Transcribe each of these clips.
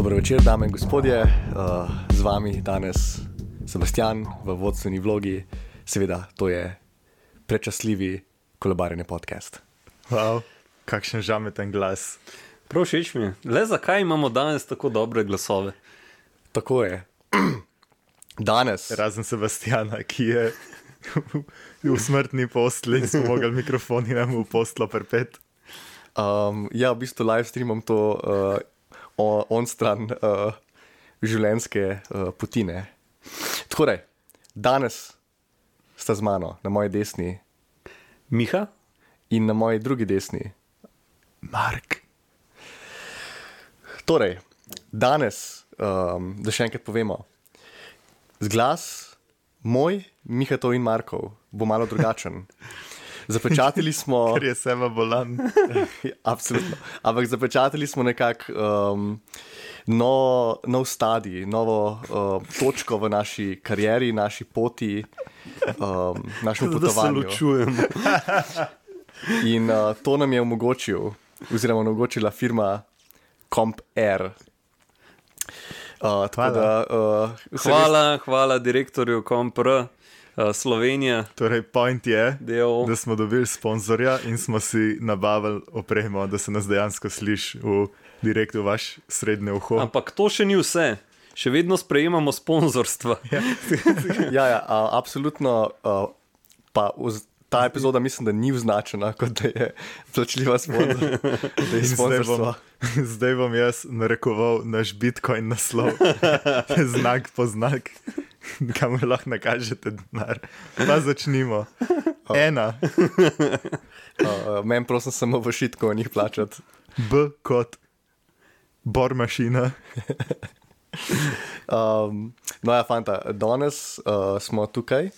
Dobro večer, dame in gospodje. Z vami danes Sebastian v vodstveni vlogi. Seveda, to je prečasljivi Kolobarjenje podcast. Wow, kakšen žameten glas. Prav všeč mi je. Le zakaj imamo danes tako dobre glasove? Tako je. Danes. Razen Sebastiana, ki je v smrtni postli in smo mogli mikrofoni nam v postlo pripet. Ja, v bistvu live streamam to on stran življenjske potine. Torej, danes sta z mano na moji desni Miha? in na moji drugi desni Mark. Torej, danes, da še enkrat povemo, zglas moj, Mihatov in Markov bo malo drugačen. Zapečatili smo... Ker je seba bolan. Absolutno. Ampak zapečatili smo nekako nov stadij, novo točko v naši karieri, naši poti, našem potovanju. Da se ločujemo. In to nam je omogočila firma CompAir. Hvala direktorju CompR Slovenija. Torej, point je, da smo dobili sponzorja in smo si nabavili opremo, da se nas dejansko sliši direkt v vaš srednje uho. Ampak to še ni vse. Še vedno sprejemamo sponzorstva. Ja, absolutno. Pa ta epizoda mislim, da ni označena, kot da je plačljiva sponzorstva. Zdaj bom jaz narekoval naš Bitcoin naslov, znak po znak, kamor lahko nakažete denar. Pa začnimo. 1. Meni prosim samo v šitko o njih plačati. B kot bormašina. No ja, fanta, danes smo tukaj,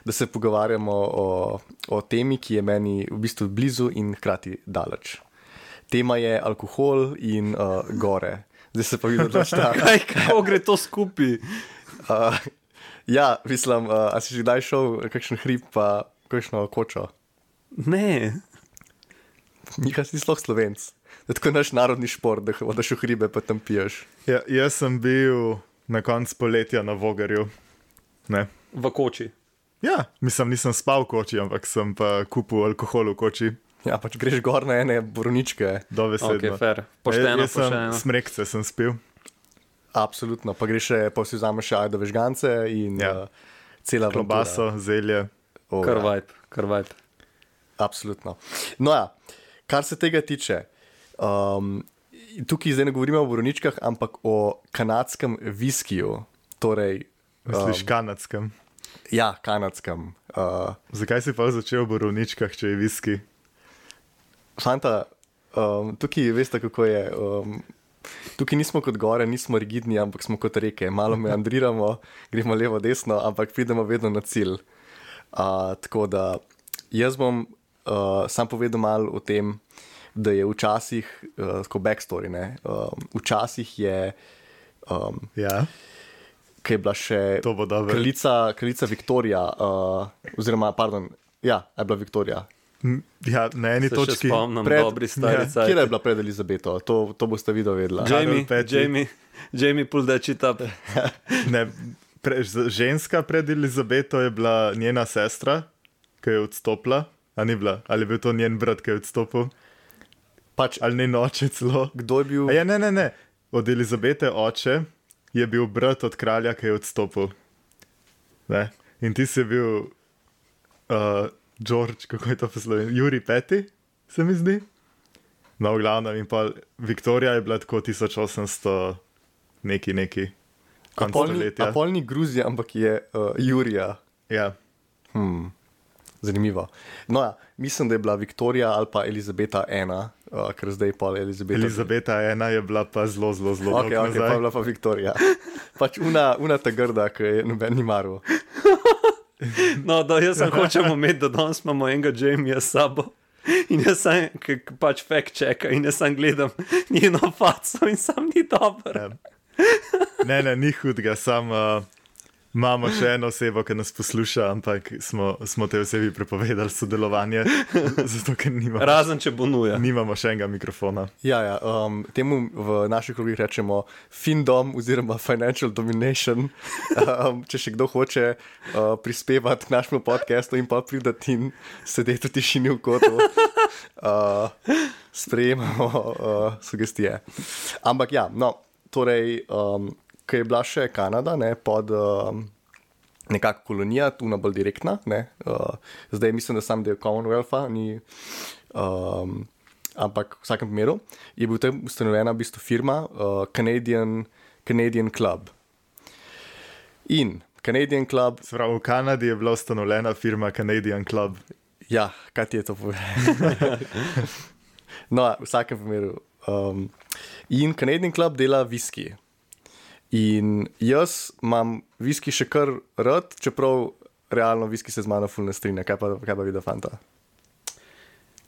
da se pogovarjamo o temi, ki je meni v bistvu blizu in hkrati daleč. Tema je alkohol in gore. Zdaj se pa vidim, da šta. Kako gre to skupaj? Ja, mislim, a si že kdaj šel kakšen hrib pa kakšno kočo? Ne. Nika si sploh Slovenc. To je tako naš narodni šport, da hodaš v hribe pa tam piješ. Ja, jaz sem bil na koncu poletja na Vogarju. Ne. V koči. Ja, mislim, nisem spal v koči, ampak sem pa kupil alkohol v koči. Ja, pač greš gor na ene borovničke. Dovesedno. Ok, fair. Pošteno. Smrekce sem spil. Absolutno, pa greš pa si vzameš še ajdove žgance in cela klobaso, zelje. Kar vibe. Absolutno. No ja, kar se tega tiče, tukaj zdaj ne govorimo o borovničkah, ampak o kanadskem viskiju. Torej... Misliš kanadskem? Ja, kanadskem. Zakaj si pa začel v borovničkah, če je viski? Fanta, tukaj veste, kako je. Tukaj nismo kot gore, nismo rigidni, ampak smo kot reke. Malo meandriramo, gremo levo, desno, ampak pridemo vedno na cilj. Tako da jaz bom sam povedal malo o tem, da je včasih, tako backstory, ne, včasih je, kaj je bila še kraljica Viktorija, oziroma, pardon, ja, je bila Viktorija. Ja, na eni točki. Se še spomnim, dobri stari cajt. Kje je bila pred Elizabeto? To boste videli vedela. Jamie pull that shit up. Ne, ženska pred Elizabeto je bila njena sestra, ki je odstopila. A ni bila? Ali je bil to njen brat, ki je odstopil? Ali njen oče celo? Kdo je bil? Ne. Od Elizabete oče je bil brat od kralja, ki je odstopil. Ne? In ti si bil George, kako je to po slovenski? Jurij V, se mi zdi. No, v glavnem, in pa Viktorija je bila tako 1800 neki. Apolni Gruzija, ampak je Jurija. Ja. Zanimivo. No ja, mislim, da je bila Viktorija ali pa Elizabeta I, ker zdaj pa Elizabeta. Elizabeta I je bila pa zelo Ok, pa je bila pa Viktorija. Pač una ta grda, ki je noben ni maru. No, jaz sem hočem imeti, da danes imamo enega Jamieja s sabo. In jaz sem, pač fact checka in jaz sem gledam njeno faco in sam ni dober. Ne, ni hudega, sam Imamo še eno osebo, ki nas posluša, ampak smo te osebi prepovedali sodelovanje, zato ker Razen, če bo nuja. Nimamo še enega mikrofona. Ja, temu v naših krogih rečemo findom oziroma financial domination. Če še kdo hoče prispevati k našemu podcastu in pa pridati in sedeti v tišini v kotu, sprejemamo sugestije. Ampak ja, no, torej... Ko je bila še Kanada, ne, pod nekako kolonija, tu na bolj direktna, ne, zdaj mislim, da sam del Commonwealtha, ampak v vsakem primeru je bil tam ustanovljena v bistvu firma Canadian Club. In Canadian Club... Sprav, v Kanadi je bila ustanovljena firma Canadian Club. Ja, kaj ti je to povedal? No, v vsakem primeru. In Canadian Club dela viski. In jaz imam viski še kar rad, čeprav realno viski se z mano ful ne strinja. Kaj pa vidi fanta?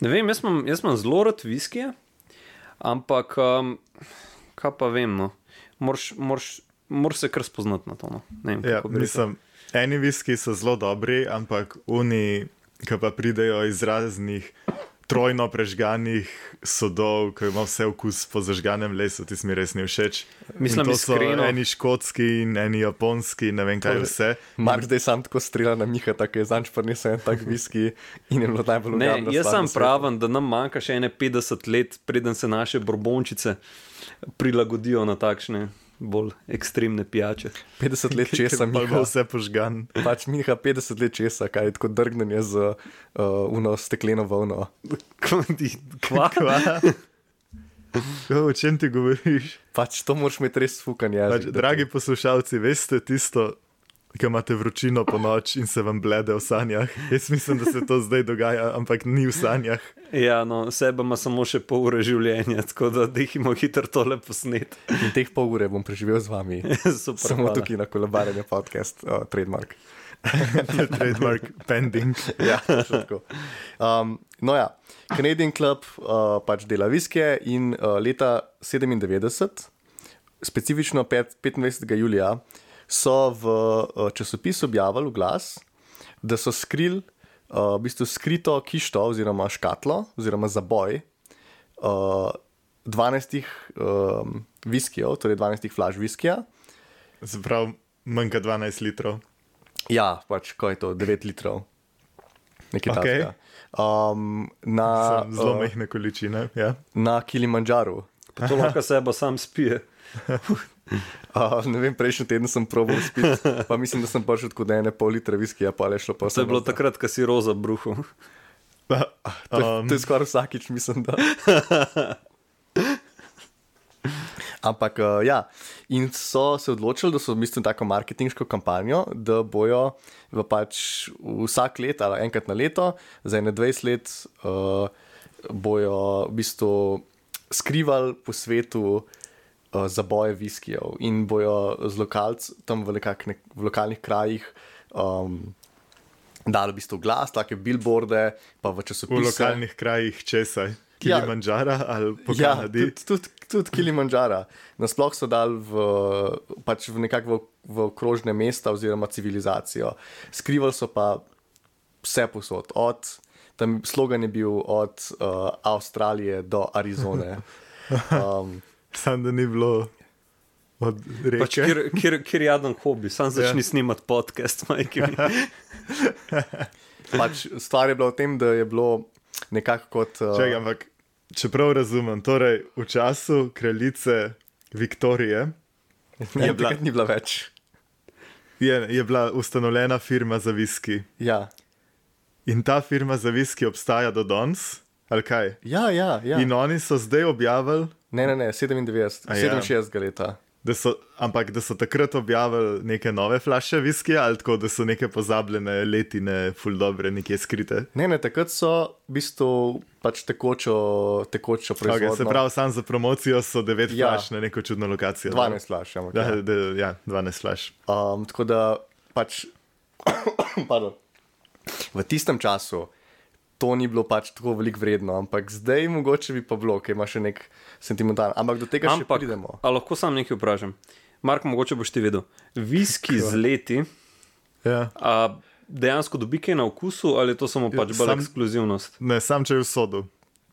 Ne vem, jaz imam zelo rad viskije, ampak kaj pa vem, no. Moraš se kar spoznati na to, no. Ne vem, kako bi rekel. Eni viski so zelo dobri, ampak oni, ki pa pridejo iz raznih trojno prežganih sodov, ki ima vse okus po zažganem lesu, ti mi res ni všeč. Mislim, to so eni škotski in eni japonski, ne vem kaj vse. Mark zdaj sam tako strela na Miha, tako je zanč prinesel en tak viski in je bilo najbolj ugodno. Ne, jaz sam pravim, da nam manjka še ene 50 let, preden se naše borbončice prilagodijo na takšne bolj ekstremne pijače. 50 let česa, Miha. Pa vse požgan. Pač Miha 50 let česa, kaj je tako drgnenje z uno stekleno volno. Kva? O čem ti govoriš? Pač to moraš imeti res fukan jezik. Pač, dragi poslušalci, veste tisto, ki imate vročino po noč in se vam blede v sanjah? Jaz mislim, da se to zdaj dogaja, ampak ni v sanjah. Ja, no, sebe ima samo še pol ure življenja, tako da dihimo hitro tole posnet. In teh pol ure bom preživel z vami. Super, samo hvala. tukaj na Kolobarjenju podcast, trademark. Trademark pending. Ja, tako. No ja, Canadian Club pač dela viskije in leta 97, specifično 25. julija, so v časopisu objavili glas, da so skrili v bistvu skrito kišto oziroma škatlo oziroma zaboj 12 viskijev, torej 12 flaš viskija. Zaprav manjka 12 litrov. Ja, pač ko je to 9 litrov. Nekaj Okay. takega. Zelo majhne količine, ja. Na Kilimandžaru. Pa to lahko seba sam spije. Ne vem, prejšnji teden sem probal spiti, pa mislim, da sem prišel tako da 1,5 litra viskija, pa je šlo pa vse. To je bilo takrat, ko si roza bruhal. To je skoraj vsakič, mislim, da. Ampak ja, in so se odločili, da so v bistvu tako marketinško kampanjo, da bojo pač vsak let ali enkrat na leto, za 20 let bojo v bistvu skrivali po svetu zaboje viskijev in bojo z lokalci tam v lokalnih krajih dali v bistvu glas, take billboarde, pa v časopise. V lokalnih krajih česaj? Kilimandžara ali po Kanadi? Ja, tudi Kilimandžara. Nasploh so dali pač v okrožne mesta oziroma civilizacijo. Skrivali so pa vse posod. Tam slogan je bil od Avstralije do Arizone. Sam da ni bilo od reke. Pač kjer jaden hobi, sam začni snimati podcast, majke mi. Pač stvar je bila v tem, da je bilo nekako kot... Čakaj, ampak čeprav razumem, torej v času kraljice Viktorije ni bila več. Je bila ustanovljena firma za viski. Ja. In ta firma za viski obstaja do danes? Ali kaj? Ja. In oni so zdaj objavili... Ne, 67 leta. Ampak da so takrat objavili neke nove flaše viskija ali tako, da so neke pozabljene letine ful dobre nekje skrite? Ne, takrat so v bistvu pač tekočo proizvodno. Okay, se pravi, sam za promocijo so 9 flaš na neko čudno lokacijo. 12 flaš, ampak ja, 12 flaš. Tako da pač pardon, v tistem času to ni bilo pač tako veliko vredno, ampak zdaj mogoče bi pa bilo, ker ima še nek sentimentalno. Ampak do tega še pridemo. A lahko sam nekaj vprašam? Mark, mogoče boš ti vedel. Viski z leti Ja. A dejansko dobi kaj na okusu ali je to samo pač bolj ekskluzivnost? Ne, sam če je v sodu.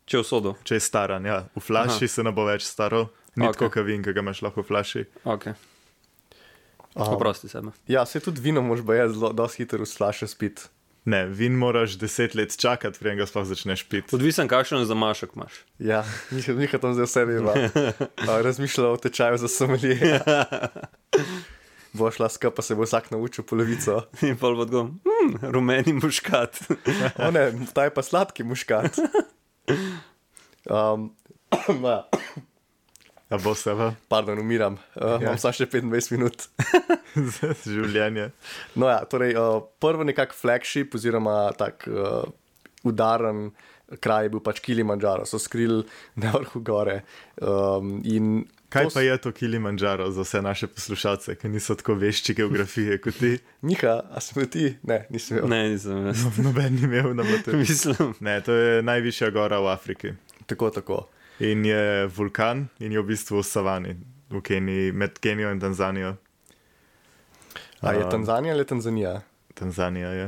Če je v sodu. Če je staran, ja. V flaši se ne bo več staral. Ni Ok. tako, kot vin, ki ga imaš lahko v flaši. Ok. Oprosti sebe. Ja, se tudi vino moš ba je zelo dosti hitro v flaše spiti. Ne, vin moraš 10 let čakati, preden ga sploh začneš piti. Odvisen, kakšen zamašek imaš. Ja, Miha tam zdaj vse veva. Razmišljala o tečaju za somelije. Bo šla skupaj, pa se bo vsak naučil polovico. In pol bo odgom, rumeni muškat. O ne, ta je pa sladki muškat. Ja. A bo se va Pardon, umiram. Imam samo še 25 minut. za življenje. No ja, torej prvo nekak flagship oziroma tak udaren kraj je bil pač Kilimandžaro. So skrili na vrhu gore. In Kaj pa je to Kilimandžaro za vse naše poslušalce, ki niso tako vešči geografije kot ti? Miha, a smo ti? Ne, nisem imel. Ne, nisem jaz. Noben ni imel na motu. Mislim. Ne, to je najvišja gora v Afriki. Tako. In je vulkan in je v bistvu v savani, v Keniji, med Kenijo in Tanzanijo. A je Tanzanija ali Tanzanija? Tanzanija je.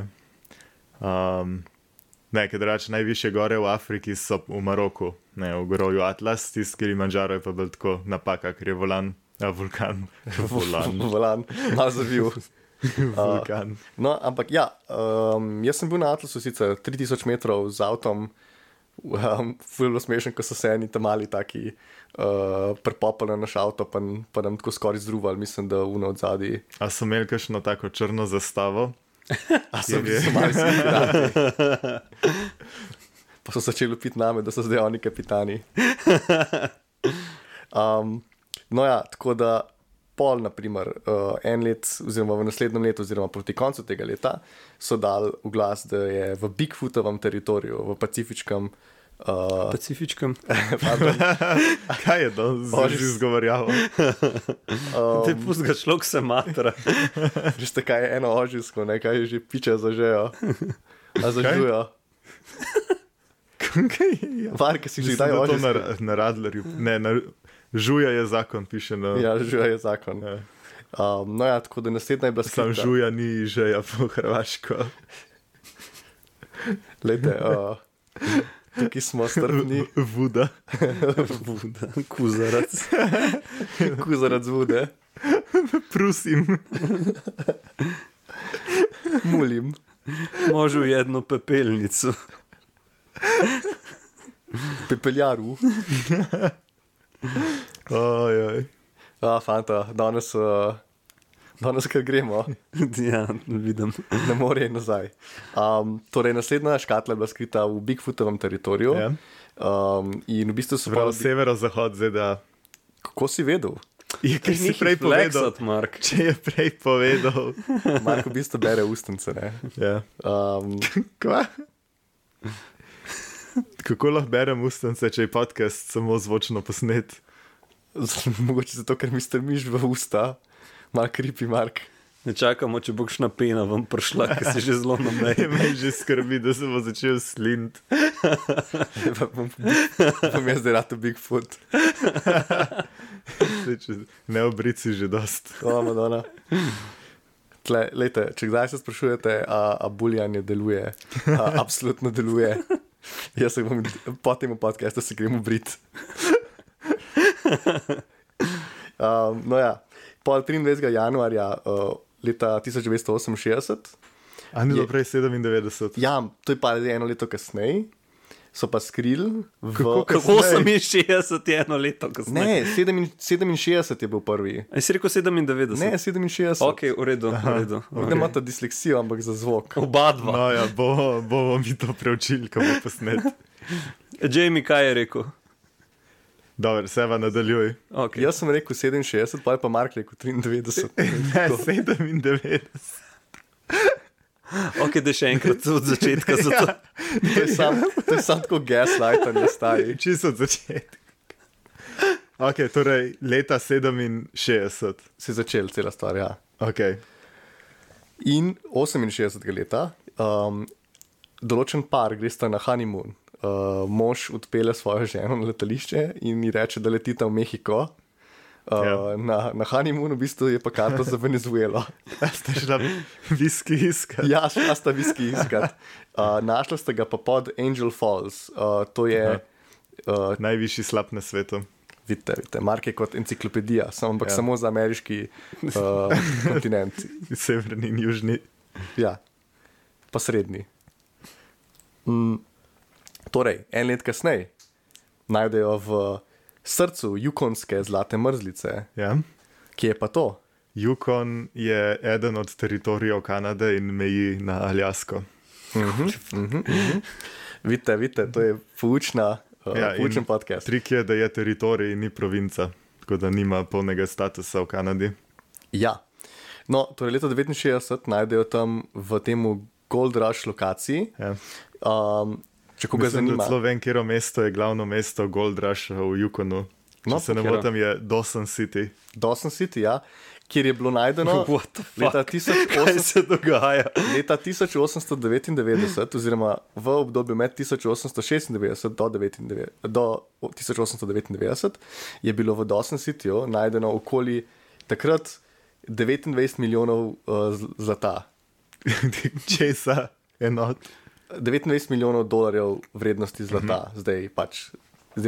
Ne, ker reče, najvišje gore v Afriki so v Maroku, ne, v gorovju Atlas, tisti Kilimandžaro je pa bolj tako napaka, ker je vulkan. Volan, malo zavil. Vulkan. No, ampak ja, jaz sem bil na Atlasu sicer 3000 metrov z avtom, ful bilo smešen, ko so se eni tam mali taki prepopali na naš avto, pa nam tako skoraj zdruvali, mislim, da uno od zadaj. A so imeli kakšno tako črno zastavo? A so bili mali kapitani. Pa so začeli piti name, da so zdaj oni kapitani. No ja, tako da pol, naprimer, en let, oziroma v naslednjem letu, oziroma proti koncu tega leta, so dali v glas, da je v Bigfootovem teritoriju, v Pacifičkem. Pacifičkem. Kaj je to? Zdaj že izgovorjavo. Te pust ga človek se matra. Že ste kaj je eno ožisko, ne, kaj je že piče zažejo. A zažujo. Kaj je? Varke si že Mislim, daj da to ožisko. na Radlerju. Ne, žuja je zakon, piše na... Ja, žuja je zakon. Ja. No ja, tako da naslednja je bila Sam skrita. žuja ni žeja po hrvaško. Lejte, tukaj smo strpni. Vuda. Vuda, kuzarac. Kuzarac vude. Prusim. Mulim. Možu jednu pepelnicu. Pepeljaru. Ojoj. Fanta, danes kar gremo. Ja, vidim. Na morje in nazaj. Torej, naslednja škatla je bila skrita v Bigfootovem teritoriju. Ja. In v bistvu so Prav severozahod ZDA. Kako si vedel? Je, ker si prej povedal. Flexat, Mark. Če je prej povedal. Marko v bistvu bere ustnice, ne? Ja. Kva? Kako lahko berem ustnice, če je podcast samo zvočno posnet? Mogoče zato, ker mi strmiš v usta. Mal creepy, Mark. Ne čakamo, če bo kakšna pena vam prišla, ker si že zelo na meji. Me že skrbi, da se bo začel slint. Bom jaz zdaj rad v Bigfoot. Ne obrici že dost. Madonna. Lejte, če kdaj se sprašujete, a buljanje deluje, absolutno deluje. Jaz se bom po tem podcastu se grem obrit. No ja, pol 23. januarja leta 1968. A ni bilo prej 97? Ja, to je pa eno leto kasneje. So pa skrili v... Kako 68 je eno leto kasneje? Ne, 67 je bil prvi. A si rekel 97? Ne, 67. Ok, v redu, v redu. Ne imate disleksijo, ampak za zvok. Oba dva. No ja, bomo mi to preučili, ko bo posnet. Jamie, kaj je rekel? Dobro, Seva, nadaljuj. Okay. Jaz sem rekel 67, pa je pa Mark rekel 93. Ne, 97. Ok, da še enkrat od začetka. Ja. To je sam tako gaslighting, stari. Čisto od začetka. Ok, torej leta 67. Se je začel cela stvar, ja. Ok. In 68. leta določen par gresta na honeymoon. Mož odpelje svojo ženo na letališče in ji reče, da letita v Mehiko. Na honeymoonu v bistvu je pa karta za Venezuelo. Ste šla viski iskat? Ja, šla sta viski iskat. Našla sta ga pa pod Angel Falls. To je... najvišji slab na svetu. Vidite, Mark je kot enciklopedija, ampak samo za ameriški kontinent. Severni in južni. Ja, pa srednji. Torej, en let kasneje najdejo v srcu Yukonske zlate mrzlice. Ja. Kje je pa to? Yukon je eden od teritorijev Kanade in meji na Aljasko. Vidite, to je poučen podcast. Trik je, da je teritorij, ni provinca, tako da nima polnega statusa v Kanadi. Ja, no, torej leta 1969 najdejo tam v temu Gold Rush lokaciji. Ja. Če koga zanima. Celo vem, kjero mesto je glavno mesto Gold Rusha v Yukonu. Če se ne motim, je Dawson City. Dawson City, ja. Kjer je bilo najdeno Kaj se dogaja? Leta 1899, oziroma v obdobju med 1896 do 1899, je bilo v Dawson Cityju najdeno okoli takrat 29 milijonov zlata. Česa enot? 29 milijonov dolarjev vrednosti zlata, zdaj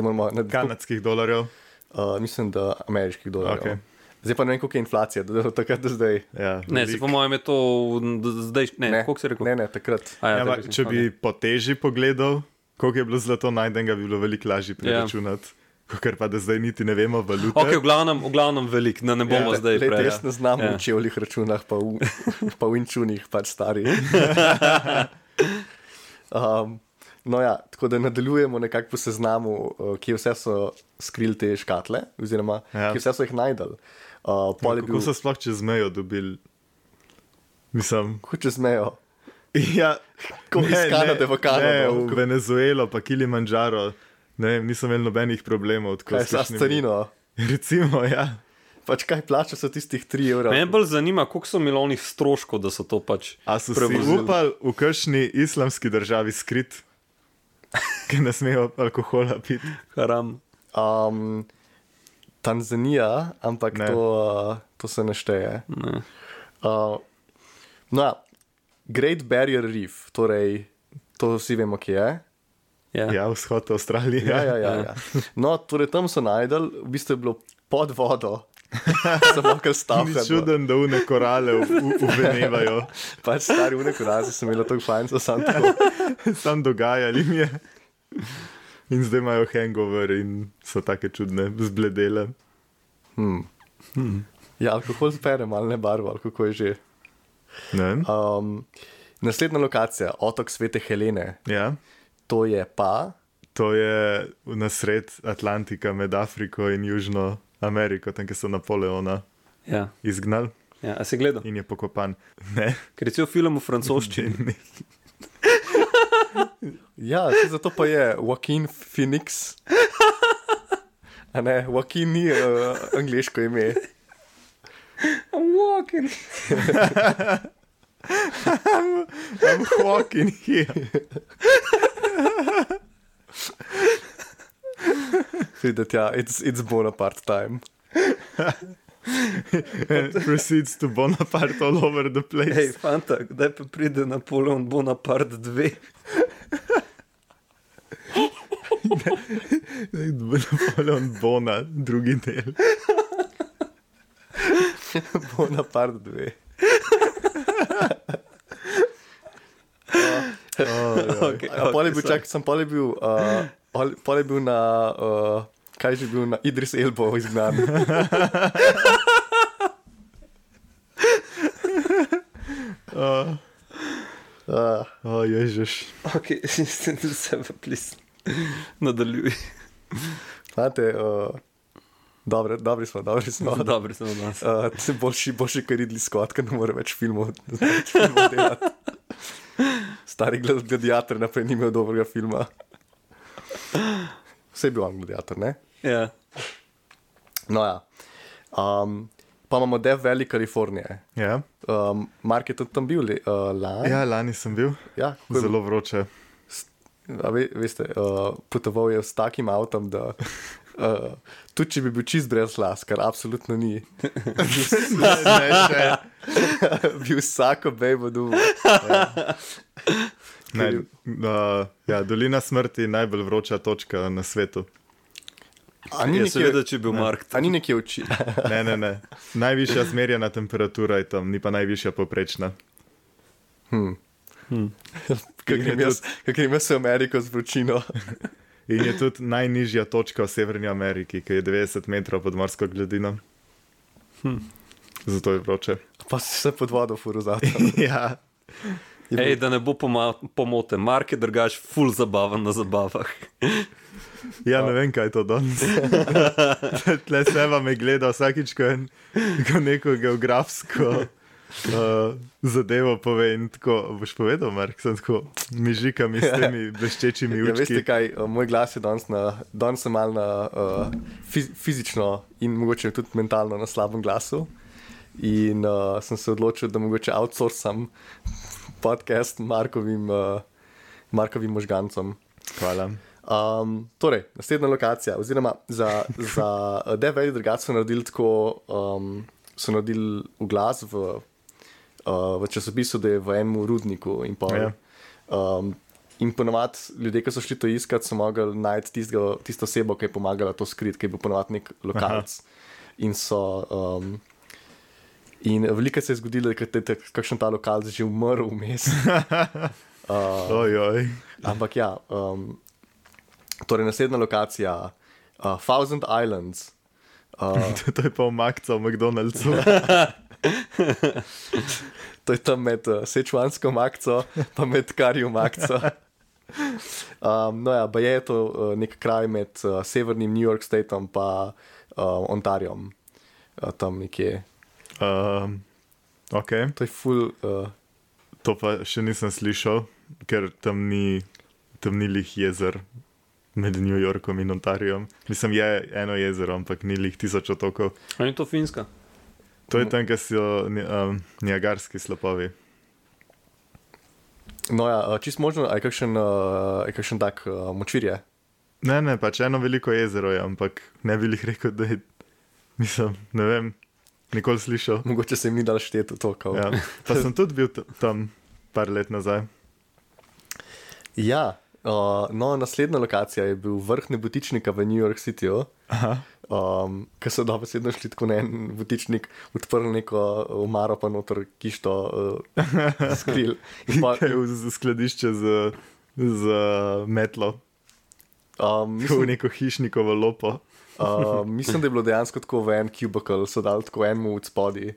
moramo kanadskih dolarjev? Mislim, da ameriških dolarjev. Okay. Zdaj pa ne vem, koliko je inflacija, do takrat do zdaj. Ja, ne, se po mojem je to zdaj, koliko si rekel? Ne, takrat. Če bi po teži pogledal, koliko je bilo zlato najdenega, bi bilo veliko lažje preračunati. Ker pa da zdaj niti ne vemo valute. Ok, v glavnem velik, da ne bomo zdaj prej. Jaz ne znam v čevljih računah, pa v inčunih, pač stari. No ja, tako da nadaljujemo nekako po seznamu, kje vse so skrili te škatle, oziroma kje vse so jih najdali. Kako so sploh čez mejo dobili? Mislim... Kako čez mejo? Ja, iz Kanade v Kanado. Ne, v Venezuelo, pa Kilimanjaro. Ne vem, nisem imel nobenih problemov. Kaj sa starino? Recimo, ja. Pač kaj plača so tistih 3 evrov? Me bolj zanima, koliko so milijoni stroškov, da so to pač a so si upali v kakšni islamski državi skrit, ki ne smejo alkohola piti? Haram. Tanzanija, ampak to se ne šteje. Ne. No, Great Barrier Reef, torej to vsi vemo, kje je. Ja, vzhod Avstralije. Ja. No, torej tam so najdel, v bistvu je bilo pod vodo. Samo kar stavka. Ni čuden, da une korale uvenevajo. Pač stari une korale so imeli tako fajn, so sam dogajali mi je. In zdaj imajo hangover in so take čudne, zbledele. Ja, alkohol zbere, malo ne barvo, ali kako je že. Ne? Naslednja lokacija, otok Svete Helene. Ja. To je pa? To je na sred Atlantika med Afriko in Južno Ameriko, tam, kjer so Napoleona izgnali. Ja, a si gledal? In je pokopan. Ne. Ker je cel film v francoščini. Ja, zato pa je Joaquin Phoenix. A ne, Joaquin ni angliško ime. I'm walking. I'm walking here. Videti, ja, it's Bonaparte time. And proceeds to Bonaparte all over the place. Hej, fanta, kdaj pa pride Napoleon Bonaparte 2? Napoleon Bona, drugi del. Bonaparte 2. Pol je bil na kaj že bil na Idris Elbo izgnan. Ježiš. Ok, mislim, da se plis nadaljuj. Znate, dobri smo. Dobri smo danes. Se boljši kar Ridley Scott, ker ne more več filmov delati. Stari gladiator naprej ni imel dobrega filma. Vse je bil on gladiator, ne? Ja. No ja. Pa imamo Death Valley, Kalifornije. Ja. Mark je tudi tam bil lani. Ja, lani sem bil. Ja, zelo vroče. Veste, potoval je s takim avtom, da Tudi če bi bil čist brez las, kar absolutno ni. Ne, še. Bi vsako bejbo dubo. Ne, ja, Dolina smrti je najbolj vroča točka na svetu. A ni Jaz sem vedel, če je bil Mark. A ni nekje oči. Ne. Najvišja zmerjena temperatura je tam, ni pa najvišja poprečna. Kaj grem jaz v Ameriko z vročino. In je tudi najnižja točka v Severni Ameriki, ki je 90 metrov pod morsko gladino. Zato je vroče. Pa si se pod vodo furo zato. Ja. Ej, da ne bo pomote, Mark je drugač ful zabaven na zabavah. Ja, ne vem, kaj je to danes. Tle Seva me gleda vsakič, ko neko geografsko zadevo pove in tako, boš povedal, Mark, sem tako mižikami s temi bleščečimi Ja, učki. veste kaj, moj glas je danes sem mal na fizično in mogoče tudi mentalno na slabem glasu in sem se odločil, da mogoče outsourcam podcast Markovim možgancom. Hvala. Torej, naslednja lokacija, oziroma za Death Valley drugače so naredili tako, so naredili oglas v časopisu, da je v enem rudniku in pa. Ja. In ponovadi ljudje, ki so šli to iskat, so mogli najti tisto osebo, ki je pomagala to skriti, ki je bil ponovadi nek lokalc. In so. In veliko se je zgodilo, da je kakšen ta lokalc že umrl vmes. Ojoj. Ampak ja, torej naslednja lokacija, Thousand Islands. To je pa omakca v McDonald'su. To je tam med sečuansko makco, pa med karjo makco. No ja, pa je to nek kraj med severnim New York Stateom pa Ontariom. Tam nekje. Ok. To je ful. To pa še nisem slišal, ker tam ni lih jezer med New Yorkom in Ontariom. Mislim, je eno jezero, ampak ni lih 1000 otokov. Ali je to Finska? To je tam, kjer so Niagarski slapovi. No ja, čist možno, a je kakšen tak močvirje? Ne, pač eno veliko jezero je, ampak ne bi lih rekel, da je, mislim, ne vem, nikoli slišal. Mogoče se jim ni dal šteti v to. Ja. Pa sem tudi bil tam par let nazaj. Ja, no, naslednja lokacija je bil vrh Nebotičnika v New York Cityju. Ker so dobesedno šli tako na en butičnik, odprli neko omaro, pa noter kišto skril. Kaj je v skladišče z metlo. V neko hišnikovo lopo. Mislim, da je bilo dejansko tako v en cubicle, so dali tako enemu od spodi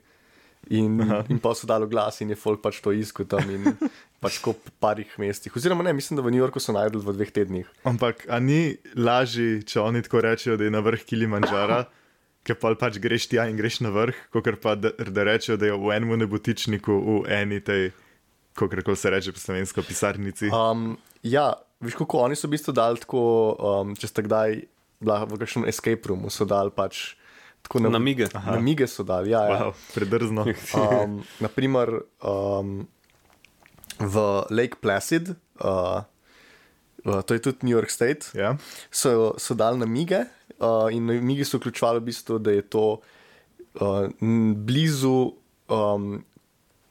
in pa so dali glas in je folk pač to iskal tam in pač tako po parih mestih. Oziroma ne, mislim, da v New Yorku so najdli v 2 tednih. Ampak, a ni lažji, če oni tako rečejo, da je na vrh Kilimandžara, ker pa pač greš tja in greš na vrh, kakor pa da rečejo, da je v enem nebotičniku v eni tej, kakor se reče po slovensko, pisarnici. Ja, veš kako, oni so v bistvu dali tako, če ste kdaj bila v kakšnem escape roomu, so dali pač tako namige. Namige so dali, ja. Wow, predrzno. Naprimer, v Lake Placid, to je tudi New York State, Ja. so dali namige in namige so vključevali v bistvu, da je to blizu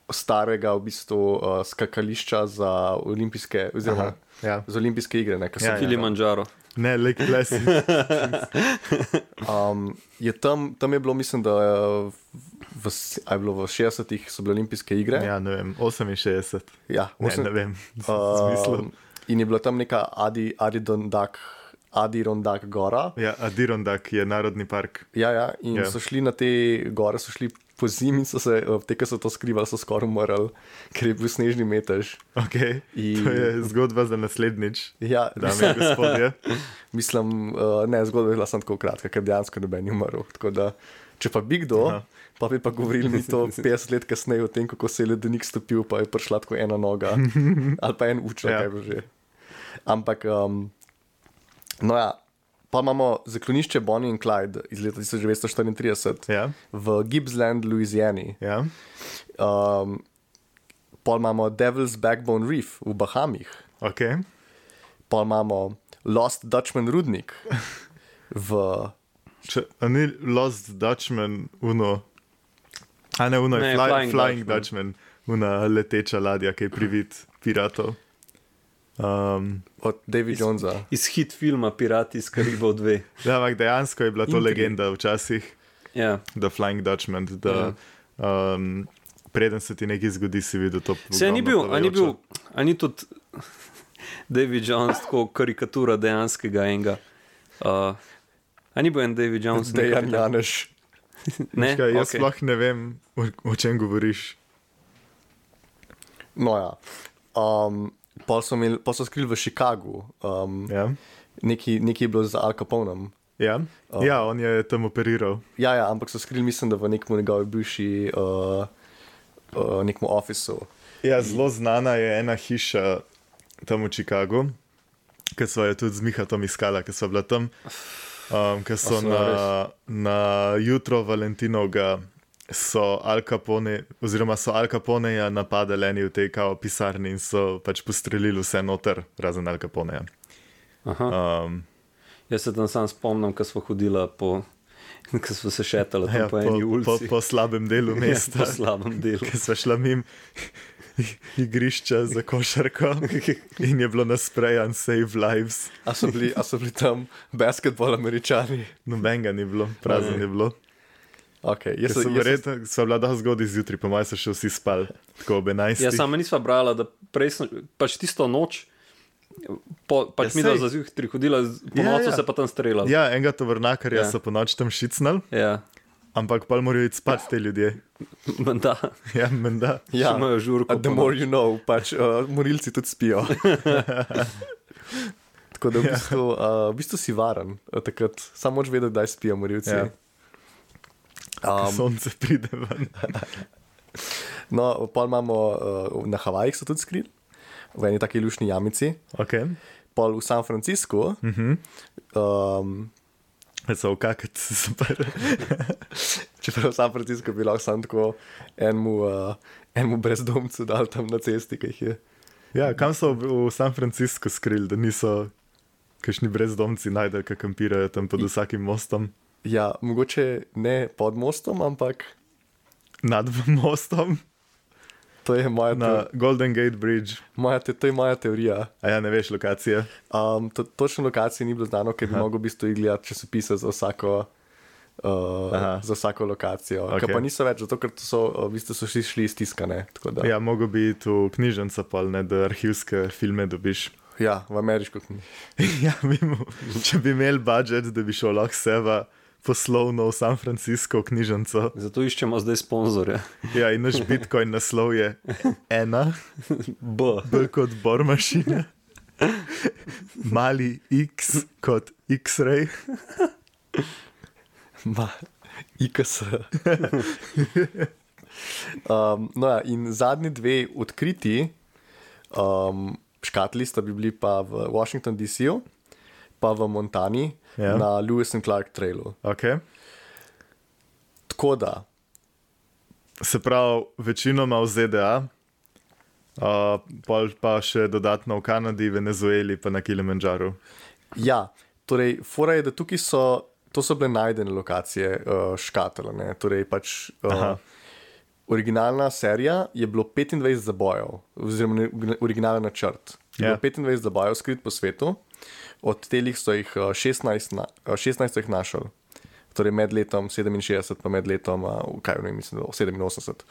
starega v bistvu skakališča za olimpijske, oziroma ja. za olimpijske igre, ne, Ja, ja. Kilimanjaro. Ne, Lake Placid. je tam je bilo, mislim, da je bilo v 60-ih so bile olimpijske igre. Ja, ne vem, 68. Ja, Ne vem, smislu. in je bila tam neka Adirondack gora. Ja, Adirondack je narodni park. Ja, in so šli na te gore, so šli po zimi in so se, te, ki so to skrivali, so skoraj umrli, ker je bil snežni metež. Ok, In- to je zgodba za naslednjič, Ja, dame in gospodje. mislim, ne, zgodba je bila samo tako kratka, ker dejansko noben ni umrl. Tako da, če pa bi kdo, Aha. pa bi pa govorili mi to 50 let kasneje o tem, kako se je ledenik stopil, pa je prišla tako ena noga ali pa en uček, Ja. kaj bo že. Ampak, no ja, pa imamo zaklonišče Bonnie and Clyde iz leta 1934 Ja, v Gippsland, Louisiani. ja. Pol imamo Devil's Backbone Reef v Bahamih. Ok, Pol imamo Lost Dutchman rudnik A ni Lost Dutchman, uno. A ne, uno je Flying Dutchman, una leteča ladja, ki je privid piratov. Od Davida Jonesa. Iz hit filma Pirati iz Karibov 2. Ja, ampak dejansko je bila to legenda včasih. Ja. The Flying Dutchman, da preden se ti nekaj zgodi, si videl to. Se ni tudi David Jones tako karikatura dejanskega enega. A ni bil en David Jones? Dejan Janeš. Ne? Jaz sploh ne vem, o čem govoriš. No ja. Pa so skrili v Chicagu. Nekaj je bilo z Al Caponem. Ja, on je tam operiral. Ja, ampak so skrili, mislim, da v nekem njegovi bivši nekem ofisu. Ja, zelo znana je ena hiša tam v Chicagu, ki so jo tudi z Mihatom iskala, ki so bila tam, ki so na jutro Valentinovga so Al Caponeja napadali eni v tej kao pisarni in so pač postrelili vse noter, razen Al Caponeja. Jaz se tam sam spomnim, ko smo hodila ko smo se šetali tam po eni ulici. Po slabem delu mesta. Po slabem delu. Ko smo šla mim igrišča za košarko in je bilo nasprejan Save Lives. A so bili tam basketball Američani? Nobenega ni bilo, prazen je bilo. Okay, sva bila da zgodaj zjutraj, po mojem so še vsi spali, tako ob 11. Ja, sama nisva brala, da prej pač tisto noč, pač mi da za zjutraj hodila, po nocu se pa tam streljala. Ja, enega tovornakarja so po noč tam šicnali, ampak pa morajo iti spat te ljudje. Menda. Ja, menda. Ja, the more you know, pač morilci tudi spijo. Tako da v bistvu si varen, takrat samo moraš vedeti, kdaj spijo morilci. Ja. Sonce pride ven. No, pol imamo na Havajih so tudi skrili, v eni taki lušni jamici. Okay. Pol v San Franciscu. So kakati super. Čeprav v San Franciscu bi lahko sam tako enemu brezdomcu dal tam na cesti, ki jih je. Ja, kam so v San Franciscu skrili, da niso kakšni brezdomci najdeli, ki kampirajo tam pod vsakim mostom? Ja, mogoče ne pod mostom, ampak nad mostom. To je moja na Golden Gate Bridge. To je moja teorija. A ja, ne veš lokacije? Točno lokacije ni bilo znano, ker bi mogel v bistvu gledati časopise za vsako lokacijo. Okay. Ker pa niso več, zato ker v bistvu so šli stiskane. Ja, mogel bi iti v knjižnico pol, ne, da arhivske filme dobiš. Ja, v ameriško knjižnico. Ja, če bi imeli budžet, da bi šel lahko seba poslovno v San Francisco v knjižnico. Zato iščemo zdaj sponzorja. Ja, in naš Bitcoin naslov je 1, B kot bor mašina, mali X kot X-ray, IKS. No ja, in zadnji dve odkriti škatli sta bi bili pa v Washington DC-u, pa v Montani, na Lewis and Clark trailu. Okay. Tako da. Se pravi, večinoma v ZDA, pa še dodatno v Kanadi, Venezueli, pa na Kilimanjaru. Ja, torej, fora je, da tukaj to so bile najdene lokacije škatel, ne, torej pač originalna serija je bilo 25 zabojev, oziroma originalni načrt. Je bilo 25 zabojev skrit po svetu, od telih so jih 16 so jih našli. Torej med letom 67 pa med letom, kaj ne mislim, 87.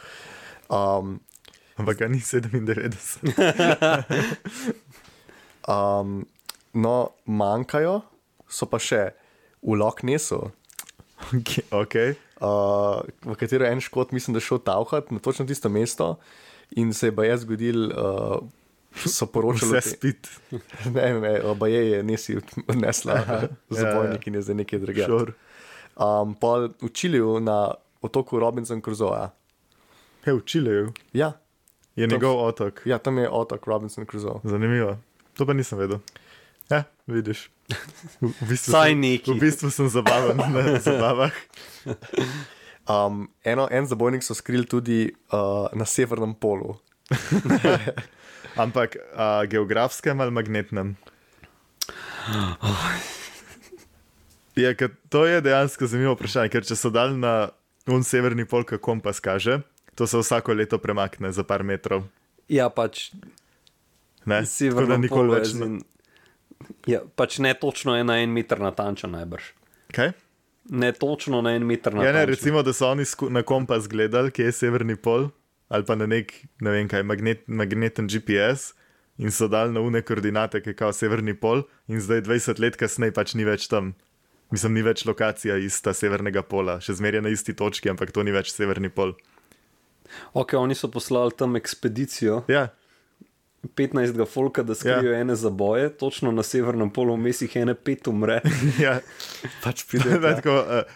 Ampak ga ni 97. No, manjkajo, so pa še v Loch Nessu. Okay. V katero en škot mislim, da šel tavhat na točno tisto mesto in se je baje zgodil, so poročali. Vse spit. Ne, baje je nesi odnesla zabojnik in je zdaj nekaj drugega. Sure. Pa v Čiliju na otoku Robinson Crusoe. V Čiliju? Ja. Je njegov otok? Ja, tam je otok Robinson Crusoe. Zanimivo. To pa nisem vedel. Ja, vidiš. V bistvu sem zabaven na zabavah. En zabojnik so skrili tudi na severnem polu. Ampak geografskem ali magnetnem? Ja, to je dejansko zanimivo vprašanje, ker če so dal na severni pol, kako kompas kaže, to se vsako leto premakne za par metrov. Ja, pač Ne, tako da severno nikoli polo je več. Ja, pač ne točno je na 1 meter natančen najbrž. Kaj? Ne točno na 1 meter Ja, natančen. ne, recimo, da so oni na kompas gledali, kje je severni pol, ali pa na nek, ne vem kaj, magneten GPS in so dali na une koordinate, ki je kao severni pol in zdaj 20 let kasneje pač ni več tam. Mislim, ni več lokacija ista severnega pola, še zmeraj na isti točki, ampak to ni več severni pol. Ok, oni so poslali tam ekspedicijo, Ja, 15 folka, da skrijo ene zaboje, točno na severnem polu, vmes jih ene 5 umre. ja. Pač pride. Tako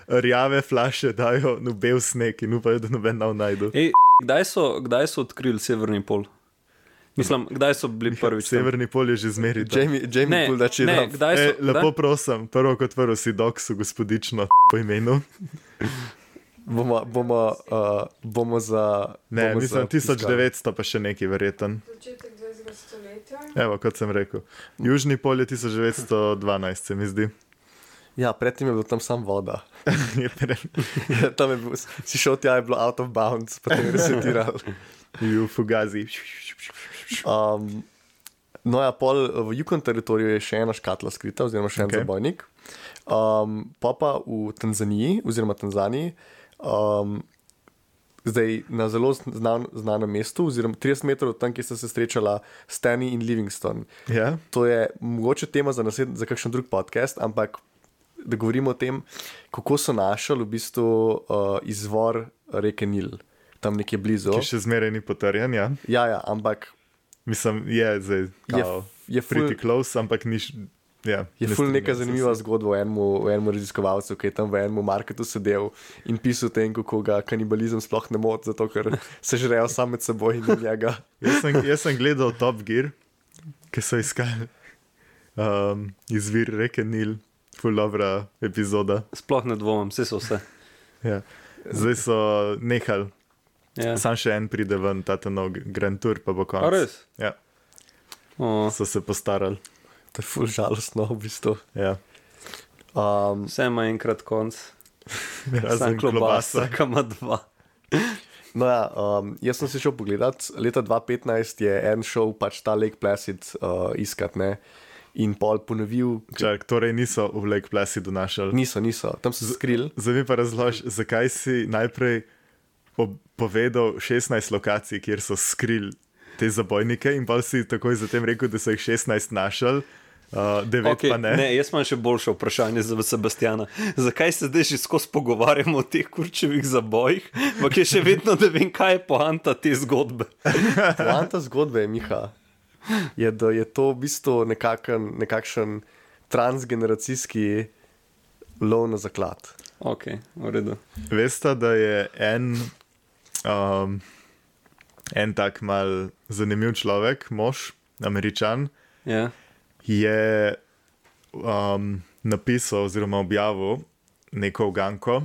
rjave flaše dajo v bel sneg in upajo, da noben nav najdu. Ej, kdaj so odkrili severni pol? Mislim, kdaj so bili prvič tam? Severni pol je že zmeri. Jamie Ne, Puldači. ne, kdaj so... Lepo prosim, prvo kot prvo si doksu gospodično po imenu. Bomo za... Ne, bomo mislim za 1900 pa še nekaj verjeten. Začetek 20. stoletja. Evo, kot sem rekel. Južni pol je 1912, se mi zdi. Ja, predtem je bilo tam sam voda. Je Tam je bil, si šel tja, je bilo out of bounds, potem je resetiral. bil fugazi. No ja, pol v Yukon teritoriju je še ena škatla skrita, oziroma še en Ok. zabojnik. Pa v Tanzaniji, oziroma Tanzaniji, zdaj na zelo znanem mestu, oziroma 30 metrov od tam, kjer sta se srečala Stanley in Livingstone. Ja, To je mogoče tema za kakšen drug podcast, ampak da govorimo o tem, kako so našli v bistvu izvor reke Nil, tam nekje blizu. ki še zmeraj ni potrjen, ja. Ja, ampak Mislim, je zdaj kao, je pretty ful, close, ampak ni... Ja, je ne ful strinjam neka se zanimiva s- zgodba o enem raziskovalcu, ki je tam v enem marketu sedel in pisal o tem, kako ga kanibalizem sploh ne moti, zato ker se žrejo sam med seboj in od njega. Jaz sem gledal Top Gear, ki so iskali izvir reke Nil, ful dobra epizoda. Sploh ne dvomim, vse so vse. Ja. Zdaj so nehali, Ja. sam še en pride ven, ta nov Grand Tour, pa bo A konec. res? Ja, O, so se postarali. To je ful žalostno v bistvu. Ja. vse ima enkrat konc. Razen klobasa. Ki ima 2. No ja, jaz sem se šel pogledat, leta 2015 je en šel pač ta Lake Placid iskat, ne, in pol ponovil, Čak, torej niso v Lake Placidu našli. niso, tam so se skrili. Zdaj mi pa razloži, zakaj si najprej povedal 16 lokacij, kjer so skrili te zabojnike in pa si takoj zatem rekel, da so jih 16 našli, 9 Okay, pa ne. ne, jaz imam še boljše vprašanje za Sebastiana. Zakaj se zdaj že skozi pogovarjamo o teh kurčevih zabojih, ampak je še vedno, da vem, kaj je poanta te zgodbe. Poanta zgodbe je, Miha, je, da je to v bistvu nekakšen transgeneracijski lov na zaklad. Ok, v redu. Veste, da je en tak mal zanimiv človek, mož, Američan, Ja. je napisal oziroma objavil neko uganko,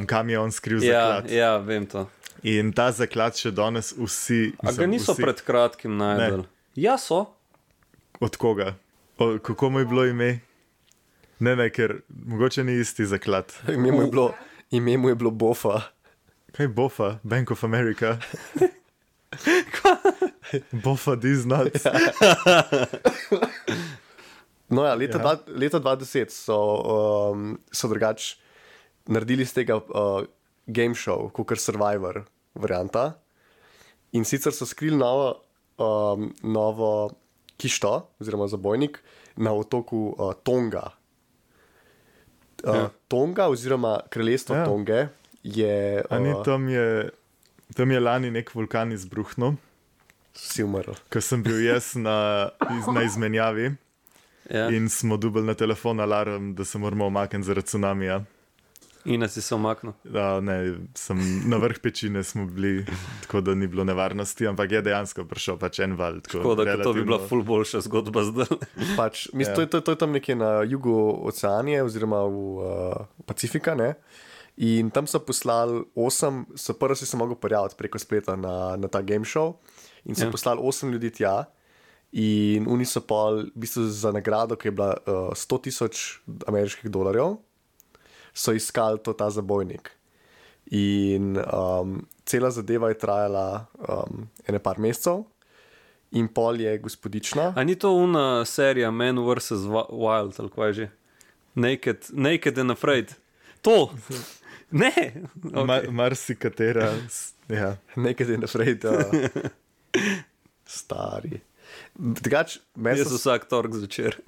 kam je on skril Ja, zaklad. ja, vem to. In ta zaklad še danes vsi... A ga niso pred kratkim najdel? Ja, so. Od koga? Kako mu je bilo ime? Ne, ker mogoče ni isti zaklad. Ime mu je bilo Bofa. Kaj je Bofa? Bank of America? Bofa these nuts. No ja, leta 2010 so drugače naredili z tega game show, kot Survivor varianta. In sicer so skrili novo kišto, oziroma zabojnik, na otoku Tonga. Tonga, oziroma kraljestvo Ja. Tonge, je. A ni tam je lani nek vulkan izbruhnil, Si umrl. ko sem bil jaz na izmenjavi Ja. in smo dobili na telefon alarm, da se moramo omakniti zaradi tsunamija. In si se omaknil. Ne, na vrh pečine smo bili, tako da ni bilo nevarnosti, ampak je dejansko prišel pač en val. Tako da to bi bila ful boljša zgodba zdaj. Pač, to je tam nekje na jugu oceanije, oziroma v Pacifika. Ne? In tam so poslali 8, prvo si se mogel prijaviti preko spleta na ta game show. In so Ja. poslali 8 ljudi tja. In oni so pa v bistvu za nagrado, ki je bila $100,000 ameriških dolarjev, so iskali ta zabojnik. In cela zadeva je trajala ene par mesecev, in pol je gospodična. A ni to una serija Man vs. Wild, ali kaj že? Naked and Afraid. To! Ne! Okay. Marsikatera. Ja. Naked and Afraid. Stari. Drugač, Jaz vsak tork zvečer.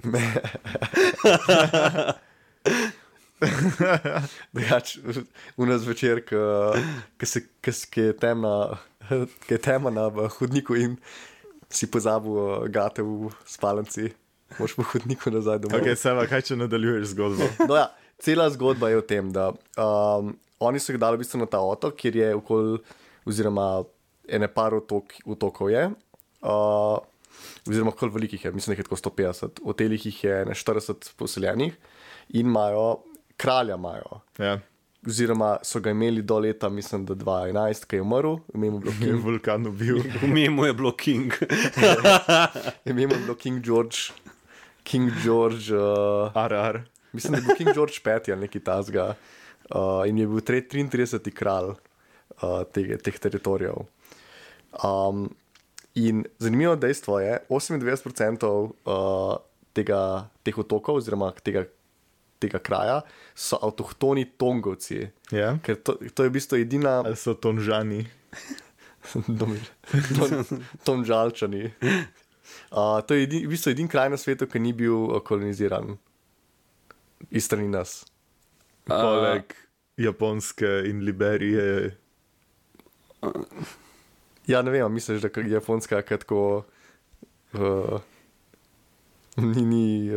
Drugač, u nas večer, ki je tema na hodniku in si pozabil gate v spalnici, moš po hodniku nazaj domov. Ok, Seva, kaj če nadaljuješ zgodbo? No ja, cela zgodba je v tem, da oni so jih dali v bistvu na ta otok, kjer je oziroma ene par otokov je, oziroma koliko velikih je, mislim, da je tako 150, v telih jih je 40 poseljenih in imajo, kralja imajo. Ja. Oziroma so ga imeli do leta, mislim, da 2011, ki je umrl, ime mu je bilo Je King. vulkan ubil. Ime mu je bilo King. Ime mu je bilo King George. King George. Ar. Mislim, da je bil King George V ali nekaj tasga. In je bil 33. kralj teh teritorijev. In zanimivo dejstvo je, 98% teh otokov, oziroma tega kraja, so avtohtoni Tongovci. Ja. Ker to je v bistvu edina. Ali so Tonžani? Tonžalčani. To je v bistvu edini kraj na svetu, ki ni bil koloniziran iz strani nas. Poleg Japonske in Liberije. Ja, ne vem, misliš, da je Japonska tako ni.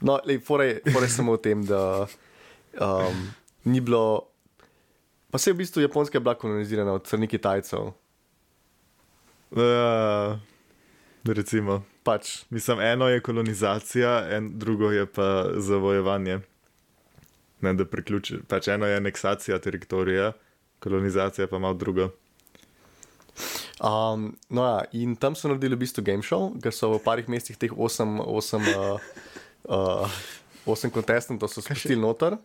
No, fora je samo v tem, da ni bilo. Pa se je v bistvu Japonska bila kolonizirana od strani Kitajcev. Recimo. Pač. Mislim, eno je kolonizacija, drugo je pa zavojevanje. Ne, da priključi. Pač eno je aneksacija teritorija, kolonizacija pa malo drugo. No ja, in tam so naredili v bistvu game show, ker so v parih mesecih teh 8 kontestantov so spustili noter.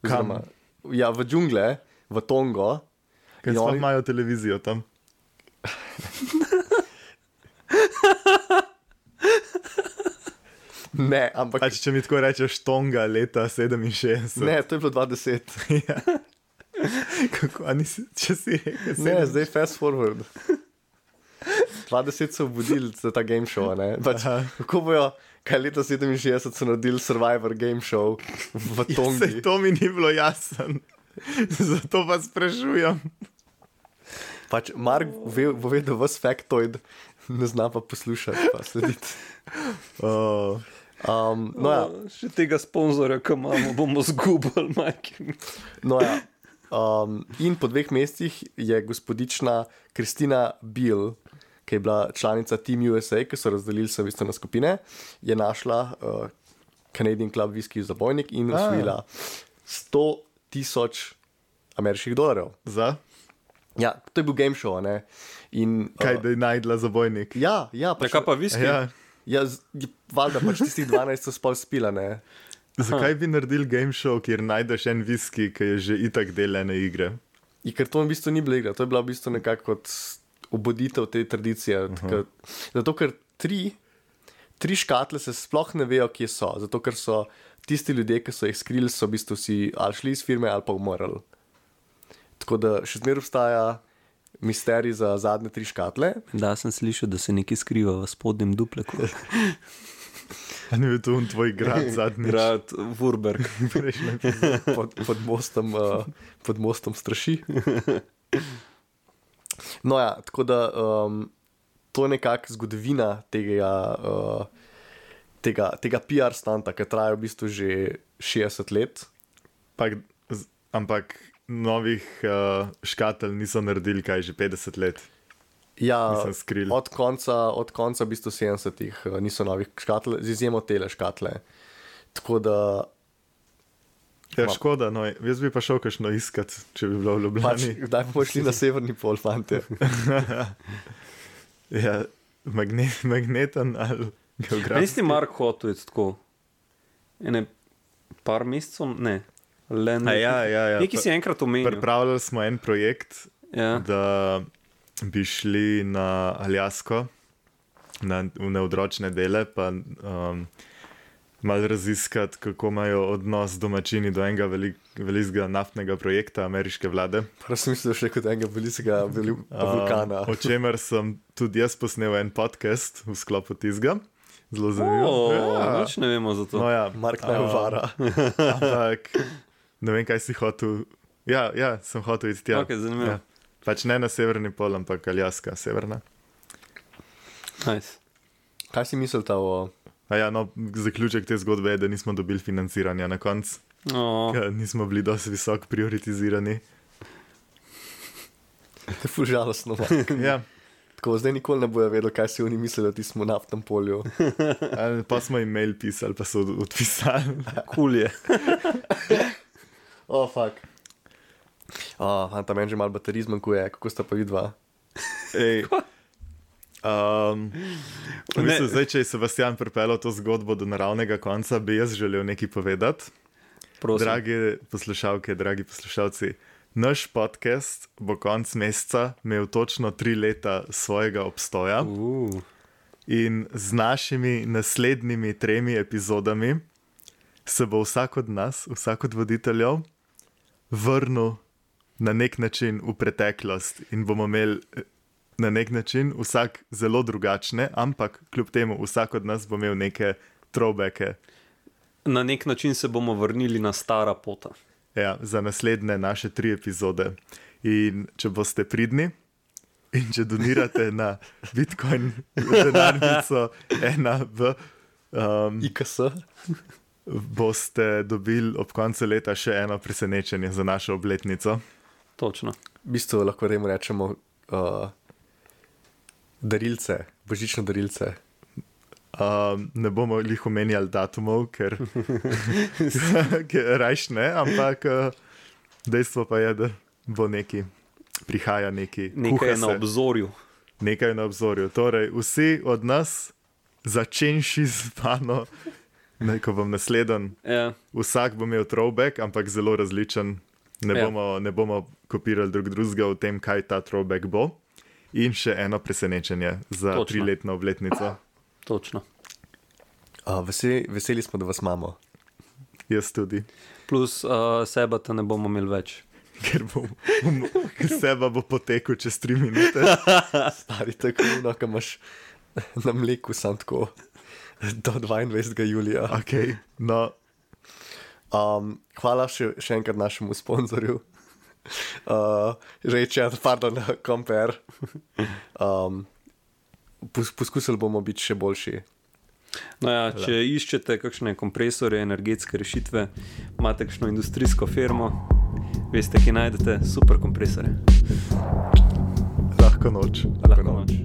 Kam? Ja, v džungle, v Tongo. Ker sploh imajo televizijo tam. Ne, ampak. Pač, če mi tako rečeš Tonga leta 67. Ne, to je bilo 20. Ja. Kako, a nisi, če si rekel? Ne, zdaj fast forward. 20 so obudili za ta game show, ne? Pač, kako bojo, kaj leta 67 so naredili Survivor game show v Tongi. Sej to mi ni bilo jasen. Zato pa sprašujem. Pač Mark bo vedel vas factoid, ne zna pa poslušati, pa slediti. No ja. Še tega sponzorja, ki imamo, bomo zgubili, majki. No ja. In po 2 mesecih je gospodična Kristina Biel, ki je bila članica Team USA, ki so razdelili se v bistvu na skupine, je našla Canadian Club Whisky zabojnik in osvojila $100,000 ameriških dolarjev. Za? Ja, to je bil game show, ne? In, Kaj, da je najdla zabojnik? Ja, pač, Kaj pa viski? Ja. valjda pač tistih 12 so spol spila, ne? Zakaj bi naredili game show, kjer najdeš en viski, ki je že itak del ene igre? In ker to v bistvu ni bila igra, to je bila v bistvu nekako kot obuditev te tradicije. Zato, ker tri škatle se sploh ne vejo, kje so. Zato, ker so tisti ljudje, ki so jih skrili, so v bistvu si ali šli iz firme ali pa umrli. Tako da še zmeraj obstaja misterij za zadnje 3 škatle. Da, sem slišal, da se nekaj skriva v spodnjem dupleku. A ni bil to tvoj grad zadnji? Grad Vurberg. pod mostom straši. No ja, tako da to je nekako zgodovina tega PR stanta, ki traja v bistvu že 60 let. Ampak novih škatelj niso naredili kaj že 50 let. Ja, Skril. od konca v bistvu 70-ih niso novih škatel, z izjemo tele škatle. Tako da. Ja, škoda, no, jaz bi pa šel kakšno iskat, če bi bilo v Ljubljani. Kdaj bomo šli na severni pol, fante? Ja, magneten ali geografski. Nisi Mark hotel je tako. Ene par mesecev, ne. Ja. Nekaj si enkrat omenil. Pripravljali smo en projekt, Ja. da bi šli na Aljasko, v neodročne dele, pa malo raziskati, kako imajo odnos domačini do enega velikega naftnega projekta ameriške vlade. Prav sem mislil še kot enega velikega vulkana. O čemer sem tudi jaz posnel en podcast v sklopu tizga. Zelo zanimivo. Nič ne vemo za to. No, ja. Mark naj uvara. Ampak ne vem, kaj si hotel. Ja, sem hotel iti tja. Ok, zanimivo. Ja. Pač ne na severni pol, ampak Aljaska, severna. Nice. Kaj si mislil ta o... Zaključek te zgodbe je, da nismo dobili financiranja na koncu. Nismo bili dosti visoko prioritizirani. To je ful žalostno. Ja. Tako, zdaj nikoli ne bojo vedeli, kaj si oni mislili, da ti smo na naftnem polju. Pa smo jim mail pisali, pa so odpisali. Cool je. Fuck. Fanta, meni že malo baterij zmanjkuje, kako sta pa vidva? Zdaj, če je Sebastian pripeljal to zgodbo do naravnega konca, bi jaz želel nekaj povedati. Prosim. Drage poslušalke, dragi poslušalci, naš podcast bo konc meseca imel točno 3 leta svojega obstoja in z našimi naslednjimi 3 epizodami se bo vsak od nas, vsak od voditeljev vrnil na nek način v preteklost in bomo imeli na nek način vsak zelo drugačne, ampak kljub temu vsak od nas bo imel neke throwbacke. Na nek način se bomo vrnili na stara pota. Ja, za naslednje naše 3 epizode. In če boste pridni in če donirate na Bitcoin denarnico 1 v IKS? boste dobili ob koncu leta še eno presenečenje za našo obletnico. Točno. V bistvu lahko temu rečemo darilce, božično darilce. Ne bomo jih omenjali datumov, ker rajš ne, ampak dejstvo pa je, da bo prihaja neki. Nekaj je na obzorju. Nekaj je na obzorju. Torej, vsi od nas, začenši z mano, ko bom nasleden, vsak bo imel throwback, ampak zelo različen. Ne bomo kopirali drugega v tem, kaj ta throwback bo. In še eno presenečenje za 3-letno obletnico. Točno. Veseli smo, da vas imamo. Jaz tudi. Plus seba te ne bomo imeli več. Ker seba bo potekel čez 3 minute. Stari tako, ko imaš na mleku sam tako do 22. julija. Okay, no. Hvala še enkrat našemu sponzorju. Compare. Poskusili bomo biti še boljši. No ja, če iščete kakšne kompresorje, energetske rešitve, imate kakšno industrijsko firmo, veste, ki najdete super kompresorje. Lahko noč. Lahko noč.